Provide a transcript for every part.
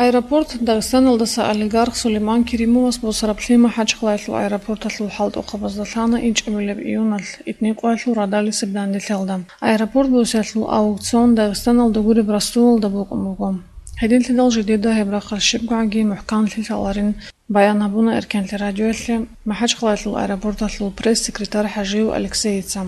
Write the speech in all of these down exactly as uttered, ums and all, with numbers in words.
Аэропорт Дагъистаналдаса олигарх Сулейман Керимовас босараблъи МахӀачхъалаялъул аэропорталъул хӀалтӀухъабазда лъана инчӀабилеб июналъ итникъоялъул радалисеб данделъалда. Аэропорт босиялъул аукцион Дагъистаналда гуреб ростовалда букӀун буго. Гьединлъидал жидеда гьеб рахъалъ щибгоги мухӀканлъи лъаларин баян гьабуна Эркенлъи радиоялъе МахӀачхъалаялъул аэропорталъул пресс-секретарь ХӀажиев Алексейица.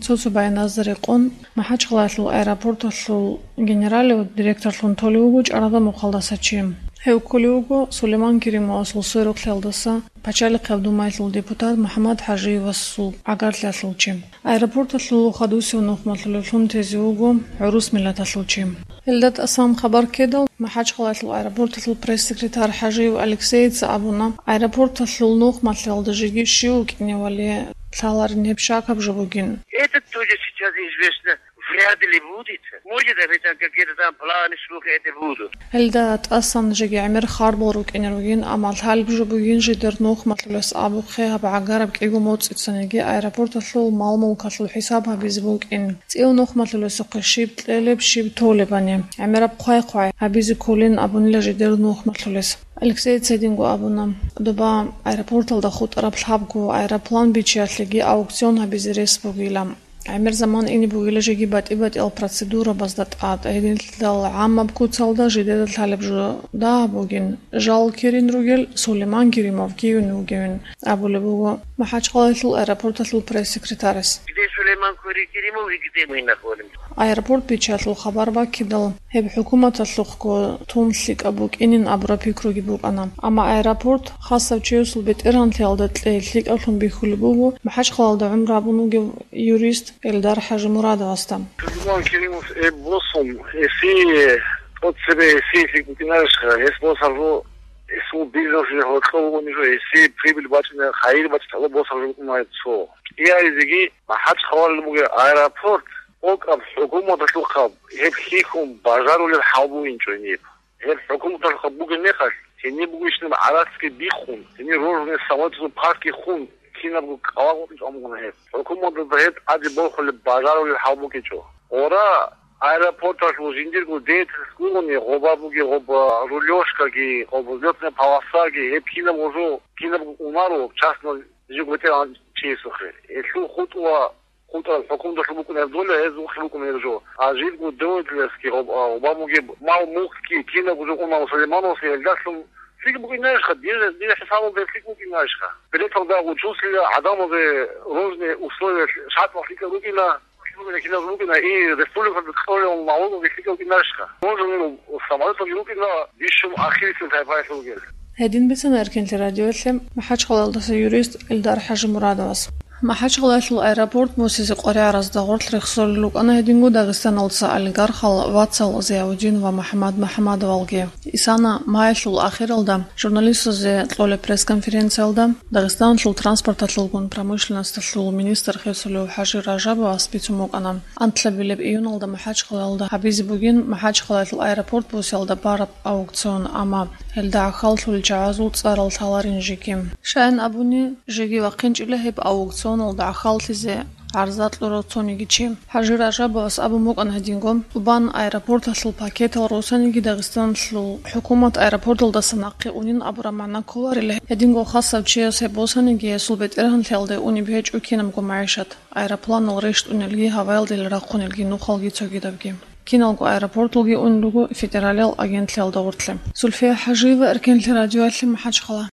Цо-цо баяназда рекъон, МахӀачхъалаялъул аэропорталъул генералив директорлъун толев вуго чӀарада мухъалдаса чи. Гьев кколев вуго Сулейман Керимовасул сверухълъиялдаса Пачалихъеб Думаялъул депутат МухӀаммад ХӀажиевасул гӀагарлъиялъул чи. Аэропорталъул хадусев нухмалъулевлъун тезе вуго гӀурус миллаталъул чи. Гьелда тӀасан хабар ккедал, МахӀачхъалаялъул аэропорталъул пресс-секретарь ХӀажиев Алексейица абуна, аэропорталъул нухмалъиялда жеги щив вукӀиневали лъаларин гьеб щакаб жо бугин. Это тоже сейчас известно вряд ли будет. Может, это там какие-то там планы, слухи это будут. Гьелда тӀасан жеги гӀемер харбал рукӀине ругин, амма лъалеб жо бугин жидер нухмалъулес абухъе гьаб гӀагараб кӀиго моцӀицаниги аэропорталъул мал-мулкалъул хӀисаб гьабизе букӀин. ЦӀив нухмалъулесухъе щиб кьелеб, щиб толебани, гӀемераб хъвай-хъвай гьабизе кколин абунила жидер нухмалъулес. Алексейица гьединго абуна, доба аэропорталда хутӀараб лъабго аэроплан бичиялъеги аукцион гьабизе рес бугила. ГӀемер заман ине бугила жеги батӀи-батӀиял процедурабазда тӀад, гьединлъидал гӀаммаб куцалда жидеда лъалеб жо дагь бугин, жал керин ругел Сулейман Керимов кивин вугевин, абулеб буго МахӀачхъалаялъул аэропорталъул пресс-секретарас. Где Сулейман Кури-, Керимов и где мы находимся? Аэропорт бичиялъул хабар баккидал, гьеб хӀукуматалъухъго тун лъикӀаб букӀинин абураб пикруги букӀана. Амма аэропорт хасав чиясул бетӀергьанлъиялда кьей лъикӀавлъун бихьулеб буго МахӀачхъалаялда гӀумру гьабун вугев юрист Эльдар ХӀажимурадовасда. Сулейман Керимов эб босун, эси тӀоцебе эси лъикӀ букӀинарищха, эс босарго, эсул бизнес гьоркьоб бугони жо, эси прибыль бачӀина, хайир бачӀина босарго букӀунаги цо. КӀиайзеги МахӀачхъалаялда бугеб аэропорт, тӀокӀаб хӀукуматалъухъаб, гьеб хьихьун бажарулеб хӀал бугинчӀо гьеб. Гьеб хӀукуматалъухъаб бугеб мехалъ, гьениб бугищинаб гӀарацги биххун, гьенир рожный самолетазул паркги хун, кинабго кӀалагъун тӀамугӀун гьеб. ХӀукуматалда гьеб тӀаде борхулеб бажарулеб хӀал букӀинчӀо. Гъора аэропорталъул жиндирго деятельность бугони, гъоба буги, гъоба рулежкаги, гъоба взлётная полосаги, гьеб кинабго жо, кинабго унаро частный жиго бетӀергьан чиясухъе. Гьелъул хутӀула хутӀараб хӀукуматалъул букӀунеб доля, гьез ухъе букӀунеб жо. А жибго деятельностьги, гъоб-, а, гъоба бугеб мал-мулкги, кинабго жо унаро Сулеймановасул гьелдалъун лъикӀ букӀинарищха, дир, дир хӀисабалда гьеб лъикӀ букӀинарищха? Билеталда учуслъила гӀадамазе рожный условия шартӀал лъикӀал рукӀина, кинаб рукӀина, и республикалда кьолеб налогги лъикӀал рукӀинарищха? Рожный самолеталги рукӀина, бищун ахирисел тайпаялъулгел. Гьедин бицана Эркенлъи радиоялъе МахӀачхъалаялдаса юрист Эльдар ХӀажимурадовас. МахӀачхъалаялъул аэропорт босизе къваригӀаразда гъорлъ рехсолел рукӀана гьединго Дагъистаналдаса олигархал вацал Зияудин ва МухӀаммад МухӀаммадовалги. Исана маялъул ахиралда журналистазе кьолеб пресс-конференциялда Дагъистаналъул транспорталъулгун промышленносталъул министр хисулев ХӀажи Ражабовас бицун букӀана, анлъабилеб июналда МахӀачхъалаялда гьабизе бугин МахӀачхъалаялъул аэропорт босиялда бараб аукцион, амма гьелда гӀахьаллъулел чагӀазул цӀарал лъаларин жеги. Щайин абуни, жеги вахъинчӀила гьеб аукционалда гӀахьаллъизе гӀарза кьурав цониги чи. ХӀажи Ражабовас абун букӀана гьединго, тӀубан аэропорталъул пакетал росаниги Дагъистаналъул хӀукумат аэропорталдаса нахъе унин абураб магӀна кколарила, гьединго хасав чияс гьеб босаниги гьесул бетӀергьанлъиялде унеб гьечӀо кинабго магӀишат, аэропланал рещтӀунелги, гьаваялдел рахъунелги, нухалги цогидабги. Киналго аэропорталги унел руго федералиял агентлъиялда гъорлъе. Зульфия ХӀажиева, Эркенлъи радиоялъе, МахӀачхъала.